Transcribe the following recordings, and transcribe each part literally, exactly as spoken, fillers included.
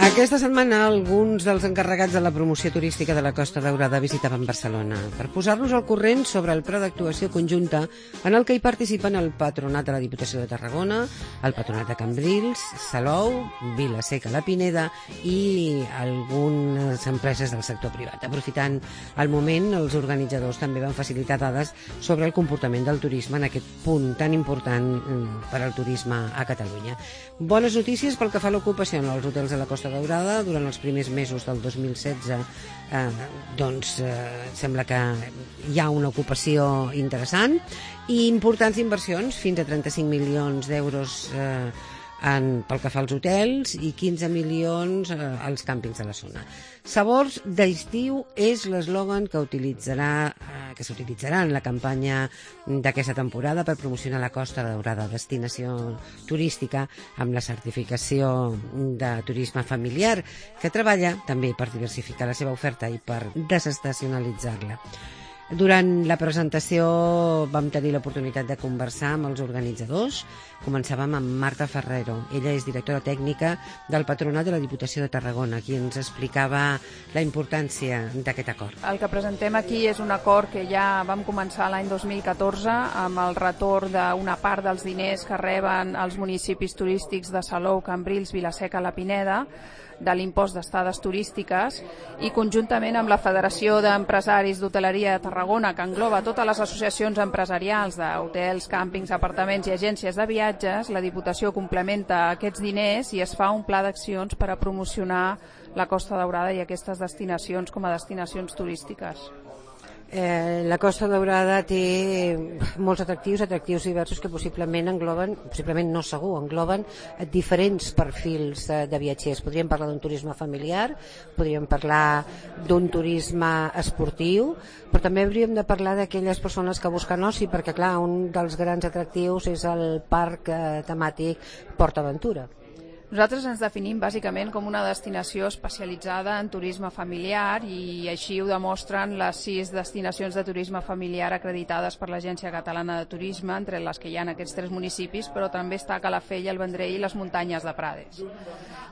Aquesta setmana alguns dels encarregats de la promoció turística de la Costa Daurada visitaven Barcelona per posar-nos al corrent sobre el pla d'actuació conjunta en el que hi participen el Patronat de la Diputació de Tarragona, el Patronat de Cambrils, Salou, Vila-seca, la Pineda i algunes empreses del sector privat. Aprofitant el moment, els organitzadors també van facilitar dades sobre el comportament del turisme en aquest punt tan important per al turisme a Catalunya. Bones notícies pel que fa a l'ocupació en els hotels de la Costa Daurada. Durant els primers mesos del dos mil setze eh, doncs eh, sembla que hi ha una ocupació interessant i importants inversions, fins a trenta-cinc milions d'euros eh, en, pel que fa als hotels i quinze milions eh, als càmpings de la zona. Sabors d'estiu és l'eslògan que utilitzarà eh, que s'utilitzarà en la campanya d'aquesta temporada per promocionar la Costa Daurada, destinació turística amb la certificació de turisme familiar, que treballa també per diversificar la seva oferta i per desestacionalitzar-la. Durant la presentació vam tenir l'oportunitat de conversar amb els organitzadors. Començàvem amb Marta Ferrero. Ella és directora tècnica del Patronat de la Diputació de Tarragona, qui ens explicava la importància d'aquest acord. El que presentem aquí és un acord que ja vam començar l'any dos mil catorze amb el retorn d'una part dels diners que reben els municipis turístics de Salou, Cambrils, Vila-seca, la Pineda, de l'impost d'estades turístiques, i conjuntament amb la Federació d'Empresaris d'Hoteleria de Tarragona, que engloba totes les associacions empresarials d'hotels, càmpings, apartaments i agències de viatges, la Diputació complementa aquests diners i es fa un pla d'accions per a promocionar la Costa Daurada i aquestes destinacions com a destinacions turístiques. Eh, la Costa Daurada té molts atractius, atractius diversos que possiblement engloben, possiblement no segur, engloben diferents perfils eh, de viatgers. Podríem parlar d'un turisme familiar, podríem parlar d'un turisme esportiu, però també hauríem de parlar d'aquelles persones que busquen oci, perquè clar, un dels grans atractius és el parc eh, temàtic PortAventura. Nosaltres ens definim bàsicament com una destinació especialitzada en turisme familiar i així ho demostren les sis destinacions de turisme familiar acreditades per l'Agència Catalana de Turisme, entre les que hi ha en aquests tres municipis, però també està Calafell, el Vendrell i les muntanyes de Prades.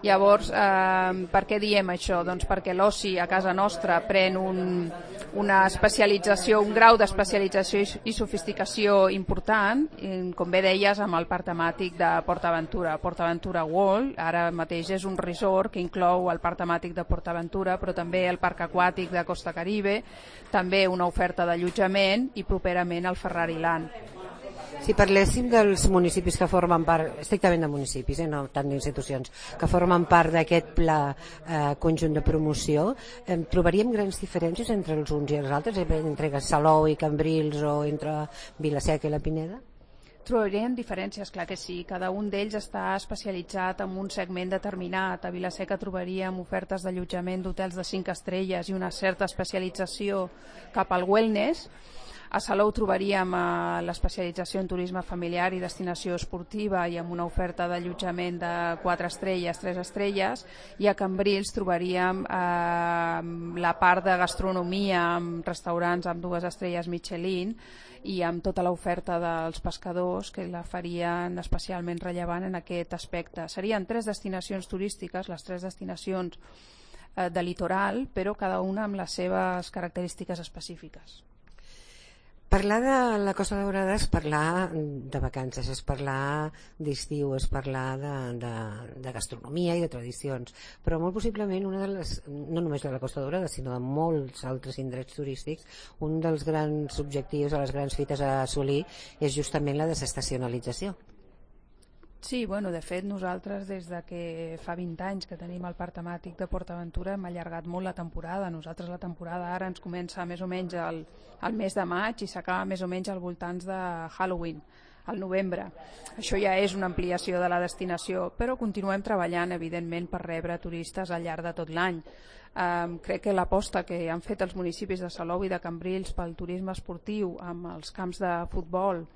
Llavors, eh, per què diem això? Doncs perquè l'oci a casa nostra pren un, una especialització, un grau d'especialització i, i sofisticació important, com bé deies, amb el parc temàtic de PortAventura, PortAventura World. Ara mateix és un resort que inclou el parc temàtic de PortAventura, però també el parc aquàtic de Costa Caribe, també una oferta d'allotjament i properament el Ferrari Land. Si parléssim dels municipis que formen part, estrictament de municipis, eh, no tant d'institucions, que formen part d'aquest pla eh, conjunt de promoció, eh, trobaríem grans diferències entre els uns i els altres, entre Salou i Cambrils o entre Vila-seca i la Pineda? Trobaríem diferències, clar que sí. Cada un d'ells està especialitzat en un segment determinat. A Vila-seca trobaríem ofertes d'allotjament d'hotels de cinc estrelles i una certa especialització cap al wellness. A Salou trobaríem eh, l'especialització en turisme familiar i destinació esportiva i amb una oferta d'allotjament de quatre estrelles, tres estrelles, i a Cambrils trobaríem eh, la part de gastronomia amb restaurants amb dues estrelles Michelin i amb tota l'oferta dels pescadors que la farien especialment rellevant en aquest aspecte. Serien tres destinacions turístiques, les tres destinacions eh, de litoral, però cada una amb les seves característiques específiques. Parlar de la Costa Daurada és parlar de vacances, és parlar d'estiu, és parlar de, de, de gastronomia i de tradicions, però molt possiblement una de les, no només de la Costa Daurada, sinó de molts altres indrets turístics, un dels grans objectius, de les grans fites a assolir, és justament la desestacionalització. Sí, bueno, de fet nosaltres des de que fa vint anys que tenim el parc temàtic de PortAventura hem allargat molt la temporada. Nosaltres la temporada ara ens comença més o menys al, al mes de maig i s'acaba més o menys al voltants de Halloween, al novembre. Això ja és una ampliació de la destinació, però continuem treballant evidentment per rebre turistes al llarg de tot l'any. Um, crec que l'aposta que han fet els municipis de Salou i de Cambrils pel turisme esportiu amb els camps de futbol,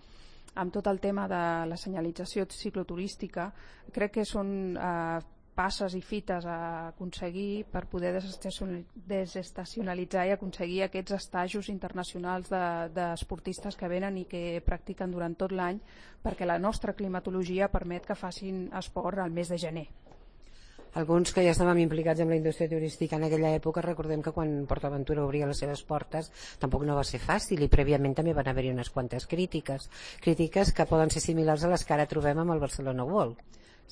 amb tot el tema de la senyalització cicloturística, crec que són eh, passes i fites a aconseguir per poder desestacionalitzar i aconseguir aquests estajos internacionals d'esportistes de, que venen i que practiquen durant tot l'any, perquè la nostra climatologia permet que facin esport al mes de gener. Alguns que ja estàvem implicats en la indústria turística en aquella època, recordem que quan PortAventura obria les seves portes tampoc no va ser fàcil i prèviament també van haver-hi unes quantes crítiques, crítiques que poden ser similars a les que ara trobem amb el Barcelona World.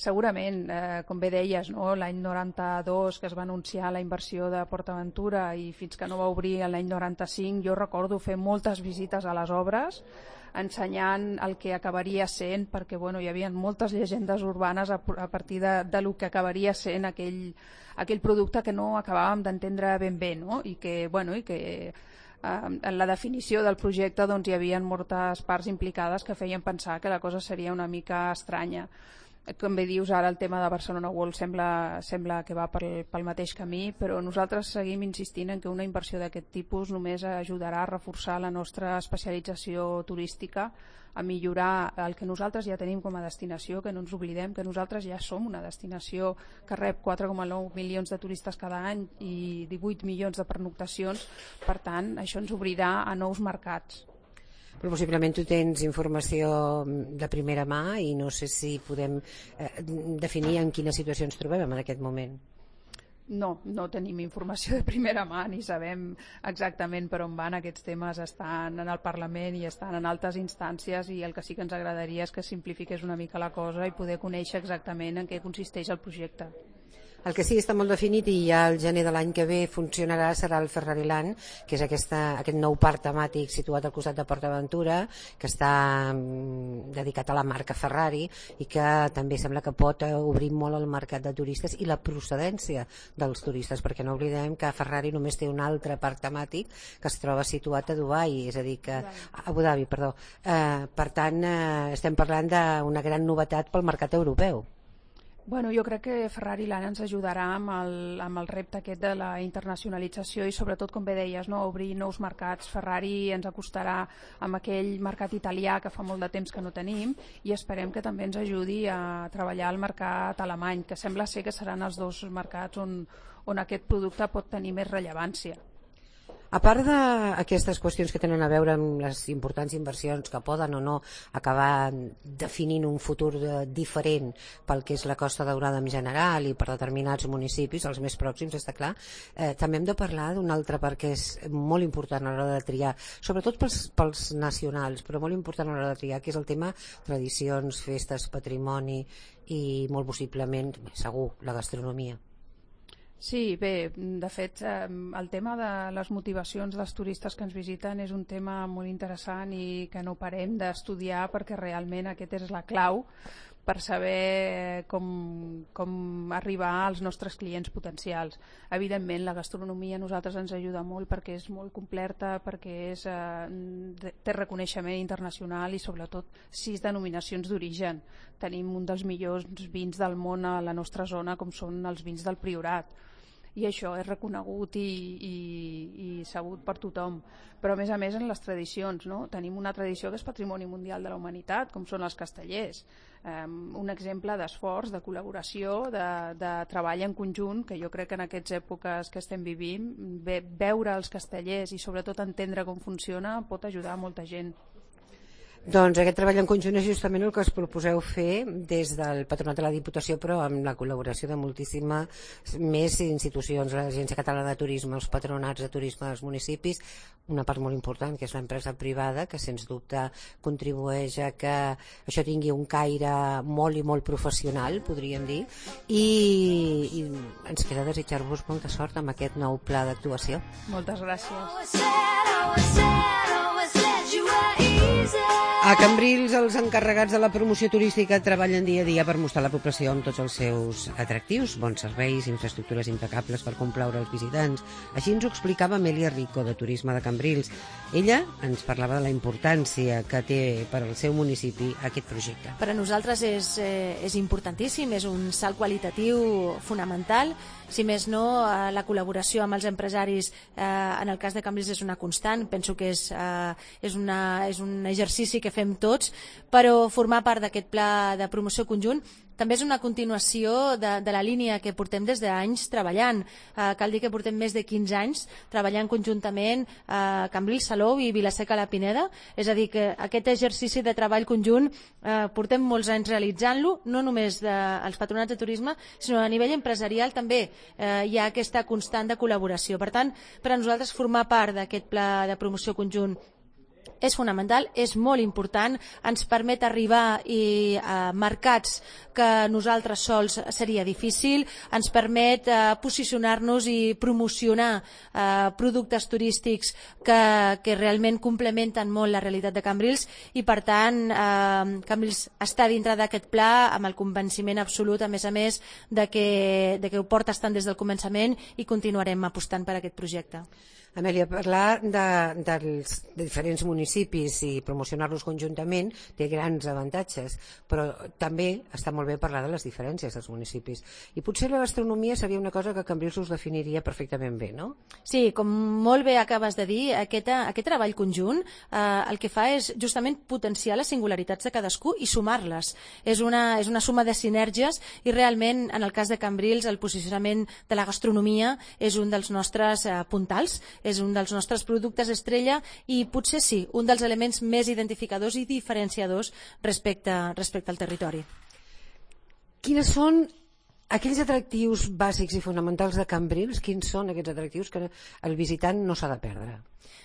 Segurament, eh, com bé deies, no? L'any noranta-dos que es va anunciar la inversió de PortAventura i fins que no va obrir l'any noranta-cinc, jo recordo fer moltes visites a les obres ensenyant el que acabaria sent, perquè bueno, hi havia moltes llegendes urbanes a, a partir de, de lo que acabaria sent aquell, aquell producte que no acabàvem d'entendre ben bé, no? I que, bueno, i que eh, en la definició del projecte doncs, hi havia moltes parts implicades que feien pensar que la cosa seria una mica estranya. Com bé dius, ara el tema de Barcelona World sembla, sembla que va pel, pel mateix camí, però nosaltres seguim insistint en que una inversió d'aquest tipus només ajudarà a reforçar la nostra especialització turística, a millorar el que nosaltres ja tenim com a destinació, que no ens oblidem que nosaltres ja som una destinació que rep quatre coma nou milions de turistes cada any i divuit milions de pernoctacions, per tant, això ens obrirà a nous mercats. Però possiblement tu tens informació de primera mà i no sé si podem eh, definir en quina situació ens trobem en aquest moment. No, no tenim informació de primera mà ni sabem exactament per on van. Aquests temes estan en el Parlament i estan en altres instàncies i el que sí que ens agradaria és que simplifiqués una mica la cosa i poder conèixer exactament en què consisteix el projecte. El que sí està molt definit i ja el gener de l'any que ve funcionarà serà el Ferrari Land, que és aquesta, aquest nou parc temàtic situat al costat de PortAventura, que està mm, dedicat a la marca Ferrari i que també sembla que pot obrir molt el mercat de turistes i la procedència dels turistes, perquè no oblidem que Ferrari només té un altre parc temàtic que es troba situat a Dubai, és a dir que a Abu Dhabi, perdó. Eh, per tant, eh, estem parlant d'una gran novetat pel mercat europeu. Bueno, jo crec que Ferrari Land ens ajudarà amb el, amb el repte aquest de la internacionalització i sobretot, com bé deies, no, obrir nous mercats. Ferrari ens acostarà amb aquell mercat italià que fa molt de temps que no tenim i esperem que també ens ajudi a treballar al mercat alemany, que sembla ser que seran els dos mercats on, on aquest producte pot tenir més rellevància. A part d'aquestes qüestions que tenen a veure amb les importants inversions que poden o no acabar definint un futur diferent pel que és la Costa Daurada en general i per determinats municipis, els més pròxims, està clar, eh, també hem de parlar d'un altre part que és molt important a l'hora de triar, sobretot pels, pels nacionals, però molt important a l'hora de triar, que és el tema tradicions, festes, patrimoni i molt possiblement, segur, la gastronomia. Sí, bé, de fet, el tema de les motivacions dels turistes que ens visiten és un tema molt interessant i que no parem d'estudiar perquè realment aquest és la clau per saber com, com arribar als nostres clients potencials. Evidentment, la gastronomia a nosaltres ens ajuda molt perquè és molt completa, perquè és, eh, té reconeixement internacional i sobretot sis denominacions d'origen. Tenim un dels millors vins del món a la nostra zona, com són els vins del Priorat. I això és reconegut i, i, i sabut per tothom, però a més a més en les tradicions, no? Tenim una tradició que és patrimoni mundial de la humanitat, com són els castellers, um, un exemple d'esforç, de col·laboració, de, de treball en conjunt, que jo crec que en aquestes èpoques que estem vivint, ve, veure els castellers i sobretot entendre com funciona pot ajudar a molta gent. Doncs aquest treball en conjunt és justament el que us proposeu fer des del Patronat de la Diputació, però amb la col·laboració de moltíssimes més institucions, l'Agència Catalana de Turisme, els patronats de turisme dels municipis, una part molt important que és l'empresa privada, que sens dubte contribueix a que això tingui un caire molt i molt professional, podríem dir, i, i ens queda desitjar-vos molta sort amb aquest nou pla d'actuació. Moltes gràcies. A Cambrils, els encarregats de la promoció turística treballen dia a dia per mostrar la població amb tots els seus atractius, bons serveis, infraestructures impecables per complaure els visitants. Així ens ho explicava Amèlia Rico, de Turisme de Cambrils. Ella ens parlava de la importància que té per al seu municipi aquest projecte. Per a nosaltres és, eh, és importantíssim, és un salt qualitatiu fonamental. Si més no, eh, la col·laboració amb els empresaris eh, en el cas de Cambrils és una constant. Penso que és, eh, és, una, és un un exercici que fem tots, però formar part d'aquest pla de promoció conjunt també és una continuació de, de la línia que portem des d'anys treballant. Eh, cal dir que portem més de quinze anys treballant conjuntament a eh, Cambrils, Salou i Vila-seca la Pineda, és a dir, que aquest exercici de treball conjunt eh, portem molts anys realitzant-lo, no només dels patronats de turisme, sinó a nivell empresarial també eh, hi ha aquesta constant de col·laboració. Per tant, per a nosaltres formar part d'aquest pla de promoció conjunt és fonamental, és molt important, ens permet arribar i, a mercats que nosaltres sols seria difícil, ens permet eh, posicionar-nos i promocionar eh, productes turístics que, que realment complementen molt la realitat de Cambrils i per tant eh, Cambrils està dintre d'aquest pla amb el convenciment absolut, a més a més de que, de que ho portes tant des del començament i continuarem apostant per aquest projecte. Amèlia, parlar de, dels de diferents municipis i promocionar-los conjuntament té grans avantatges, però també està molt bé parlar de les diferències dels municipis. I potser la gastronomia seria una cosa que Cambrils us definiria perfectament bé, no? Sí, com molt bé acabes de dir, aquest, aquest treball conjunt eh, el que fa és justament potenciar les singularitats de cadascú i sumar-les. És una, és una suma de sinergies i realment, en el cas de Cambrils, el posicionament de la gastronomia és un dels nostres eh, puntals, és un dels nostres productes estrella i potser sí, un dels elements més identificadors i diferenciadors respecte, respecte al territori. Quines són aquells atractius bàsics i fonamentals de Cambrils? Quins són aquests atractius que el visitant no s'ha de perdre?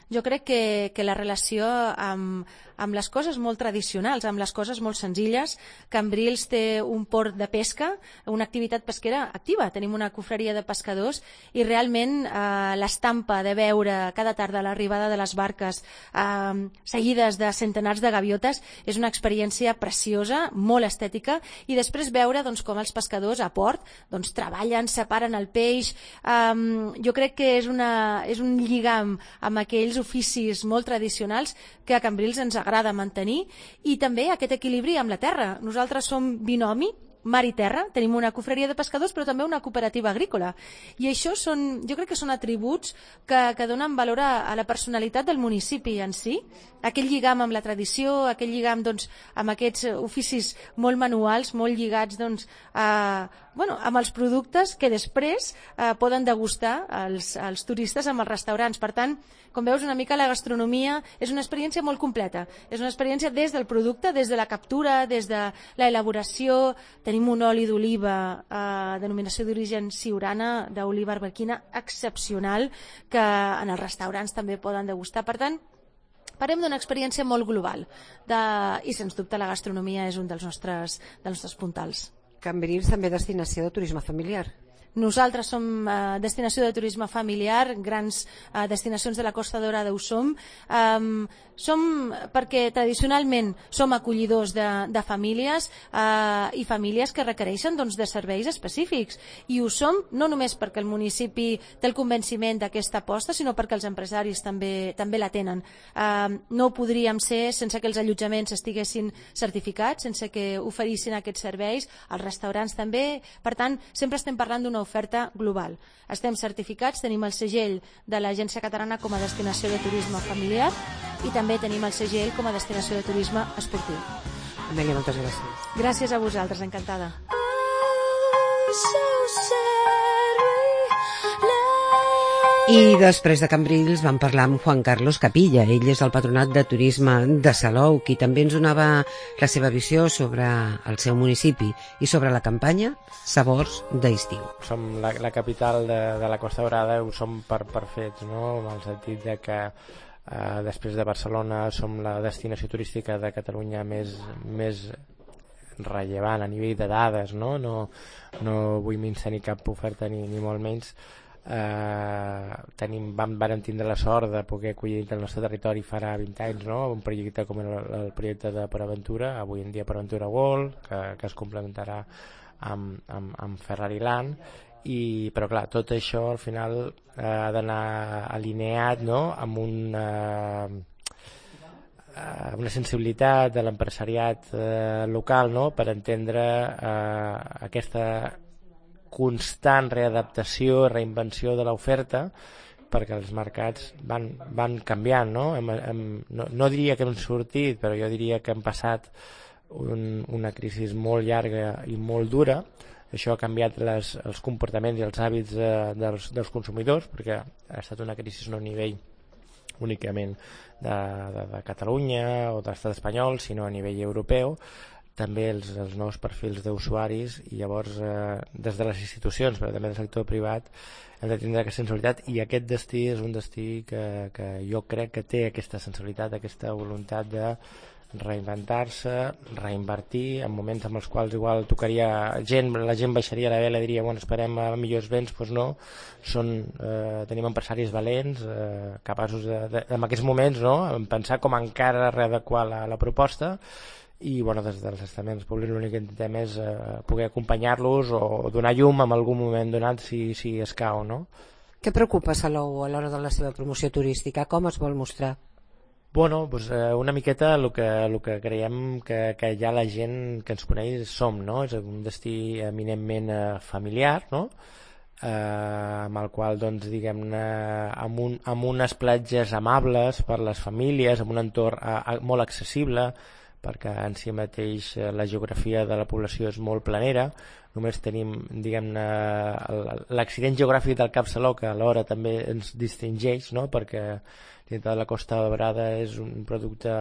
Jo crec que, que la relació amb, amb les coses molt tradicionals, amb les coses molt senzilles. Cambrils té un port de pesca, una activitat pesquera activa. Tenim una cofreria de pescadors i realment eh, l'estampa de veure cada tarda l'arribada de les barques eh, seguides de centenars de gaviotes és una experiència preciosa, molt estètica, i després veure doncs, com els pescadors a port doncs, treballen, separen el peix. Eh, jo crec que és, una, és un lligam amb aquells oficis molt tradicionals que a Cambrils ens agrada mantenir i també aquest equilibri amb la terra. Nosaltres som binomi, mar i terra, tenim una cofreria de pescadors però també una cooperativa agrícola i això són, jo crec que són atributs que, que donen valor a, a la personalitat del municipi en si, aquell lligam amb la tradició, aquell lligam doncs, amb aquests oficis molt manuals, molt lligats doncs, a, bueno, amb els productes que després eh, poden degustar els, els turistes amb els restaurants. Per tant, com veus, una mica la gastronomia és una experiència molt completa. És una experiència des del producte, des de la captura, des de l'elaboració. Tenim un oli d'oliva, eh, denominació d'origen siurana, d'oliva arbequina, excepcional, que en els restaurants també poden degustar. Per tant, parlem d'una experiència molt global de, i, sens dubte, la gastronomia és un dels nostres, dels nostres puntals. Cambrils també destinació de turisme familiar. Nosaltres som eh, destinació de turisme familiar, grans eh, destinacions de la Costa Daurada ho som. Um, som perquè tradicionalment som acollidors de, de famílies eh, i famílies que requereixen doncs, de serveis específics. I ho som no només perquè el municipi té el convenciment d'aquesta aposta, sinó perquè els empresaris també, també la tenen. Eh, no ho podríem ser sense que els allotjaments estiguessin certificats, sense que oferissin aquests serveis, els restaurants també. Per tant, sempre estem parlant d'una oferta global. Estem certificats, tenim el segell de l'Agència Catalana com a destinació de turisme familiar i també tenim el segell com a destinació de turisme esportiu. Amèlia, moltes gràcies. Gràcies a vosaltres, encantada. I després de Cambrils vam parlar amb Juan Carlos Capilla. Ell és el patronat de turisme de Salou, qui també ens donava la seva visió sobre el seu municipi i sobre la campanya Sabors d'Estiu. Som la, la capital de, de la Costa Daurada, ho som per, per fets, no? En el sentit de que eh, després de Barcelona som la destinació turística de Catalunya més, més rellevant a nivell de dades, no? No, no vull menystenir cap oferta ni, ni molt menys. Eh, tenim, vam, vam tindre la sort de poder acollir el nostre territori farà vint anys, no? Un projecte com el, el projecte de PorAventura, avui en dia PorAventura World, que, que es complementarà amb, amb, amb Ferrari Land, i, però clar, tot això al final eh, ha d'anar alineat, no? Amb una, eh, una sensibilitat de l'empresariat eh, local, no? Per entendre eh, aquesta constant readaptació, reinvenció de l'oferta perquè els mercats van, van canviant, no? Hem, hem, no? No diria que hem sortit, però jo diria que hem passat un, una crisi molt llarga i molt dura. Això ha canviat les, els comportaments i els hàbits eh, dels, dels consumidors, perquè ha estat una crisi no a nivell únicament de, de, de Catalunya o de l'estat espanyol, sinó a nivell europeu, també els, els nous perfils d'usuaris, i llavors eh, des de les institucions però també del sector privat hem de tindre aquesta sensibilitat, i aquest destí és un destí que, que jo crec que té aquesta sensibilitat, aquesta voluntat de reinventar-se, reinvertir en moments en els quals igual tocaria gent, la gent baixaria la vela i diria bueno, esperem a millors vents, doncs no, són, eh, tenim empresaris valents eh, capaços de, de, en aquests moments no, en pensar com encara readequar la, la proposta, i bueno, des dels estaments públics l'únic que intentem és eh, poder acompanyar-los o donar llum en algun moment donat si, si escau, no? Què preocupa Salou a l'hora de la seva promoció turística? Com es vol mostrar? Bueno, doncs, eh, una miqueta el que, el que creiem que, que ja la gent que ens coneix som, no? És un destí eminentment eh, familiar, no? Eh, amb el qual, doncs, diguem-ne, amb, un, amb unes platges amables per les famílies, amb un entorn a, a, molt accessible, perquè en si mateix la geografia de la població és molt planera, només tenim, diguem-ne, l'accident geogràfic del Cap Salou, que alhora també ens distingeix, no? Perquè dintre de la Costa Daurada és un producte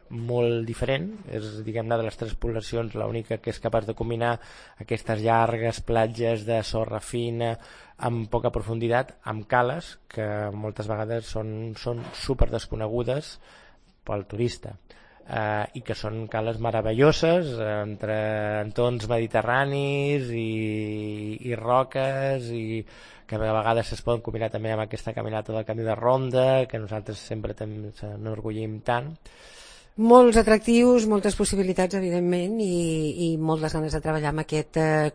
molt diferent, és, diguem-ne, de les tres poblacions l'única que és capaç de combinar aquestes llargues platges de sorra fina amb poca profunditat, amb cales que moltes vegades són, són super desconegudes pel turista. Uh, i que són cales meravelloses eh, entre entorns mediterranis i, i roques, i que a vegades es poden combinar també amb aquesta caminata del Camí de Ronda, que nosaltres sempre n'enorgullim tant. Molts atractius, moltes possibilitats, evidentment, i, i moltes ganes de treballar amb aquest eh,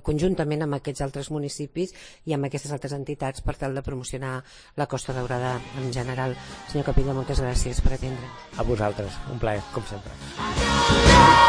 conjuntament amb aquests altres municipis i amb aquestes altres entitats per tal de promocionar la Costa Daurada en general. Senyor Capella, moltes gràcies per atendre. A vosaltres, un plaer, com sempre.